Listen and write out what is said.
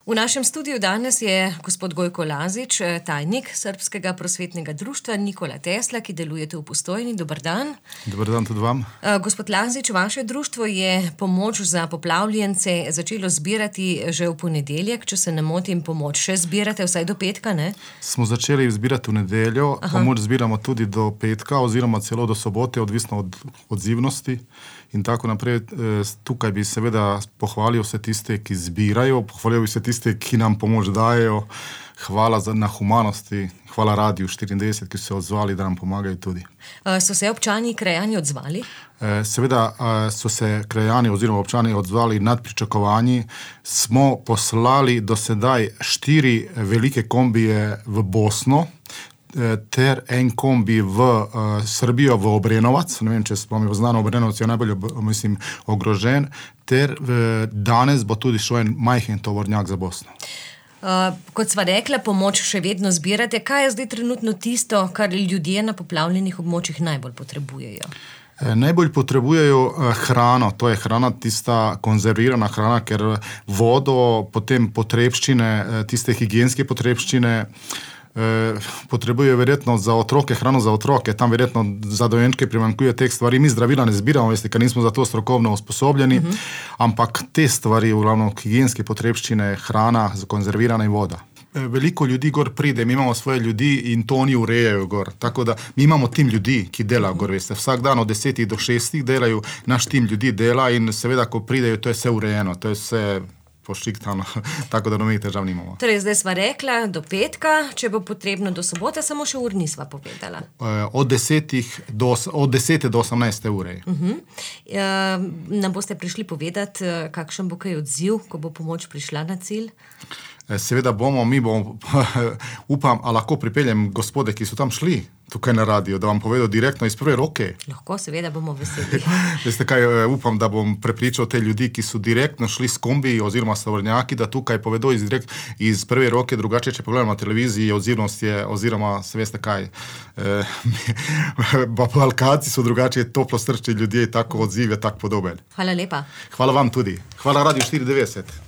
V našem studiu danes je gospod Gojko Lazić, tajnik Srbskega prosvetnega društva Nikola Tesla, ki delujete v Postojni. Dober dan. Dober dan tudi vam. Gospod Lazić, vaše društvo je pomoč za poplavljence začelo zbirati že v ponedeljek, če se ne motim, pomoč še zbirate vsaj do petka, ne? Smo začeli zbirati v nedeljo, pomoč zbiramo tudi do petka oziroma celo do sobote, odvisno od odzivnosti in tako naprej. Tukaj bi seveda pohvalil vse tiste, ki zbirajo, pohvalil bi vse tiste, ki nam pomoč dajejo. Hvala na humanosti, hvala Radiu 94, ki so se odzvali, da nam pomagajo tudi. So se občani, krajani odzvali? Seveda so se krajani oziroma občani odzvali nad pričakovanji. Smo poslali do sedaj 4 velike kombije v Bosno, ter en kombi v Srbijo, v Obrenovac, ne vem, če spomnim, znano, Obrenovac je najbolj, ogrožen, ter danes bo tudi šel en majhen tovornjak za Bosno. Kot sva rekla, pomoč še vedno zbirate. Kaj je zdaj trenutno tisto, kar ljudje na poplavljenih območjih najbolj potrebujejo? Najbolj potrebujejo hrano, to je hrana, tista konzervirana hrana, ker vodo, potem potrebščine, tiste higienske potrebščine, potrebujejo verjetno za otroke, hrano za otroke, tam verjetno za dojenčke primanjkuje teh stvari. Mi zdravila ne zbiramo, veste, ker nismo za to strokovno usposobljeni, ampak te stvari, uglavnom higienske potrebščine, hrana, konzervirana in voda. Veliko ljudi gor pride, mi imamo svoje ljudi in to oni urejajo gor. Tako da mi imamo tim ljudi, ki delajo gor, veste. Vsak dan od 10 do 6 delajo, naš tim ljudi dela in seveda, ko pridejo, to je vse urejeno, to je vse pošiktano, tako da nobenih težav nimamo. Torej, zdaj sva rekla do petka, če bo potrebno do sobote, samo še ur nisva povedala. Od 10 do 18 ure. Nam boste prišli povedati, kakšen bo kaj odziv, ko bo pomoč prišla na cilj? Seveda mi bomo, upam, a lahko pripeljem gospode, ki so tam šli tukaj na radio, da vam povedo direktno iz prve roke. Lahko, seveda bomo veseli. Veste kaj, upam, da bom prepričal te ljudi, ki so direktno šli s kombi oziroma tovornjaki, da tukaj povedo iz prve roke, drugače, če pogledamo na televiziji, odzivnost je, oziroma, se veste kaj, Balkanci so drugače toplo srčni ljudje, tako odziv je tak podoben. Hvala lepa. Hvala vam tudi. Hvala Radio 94.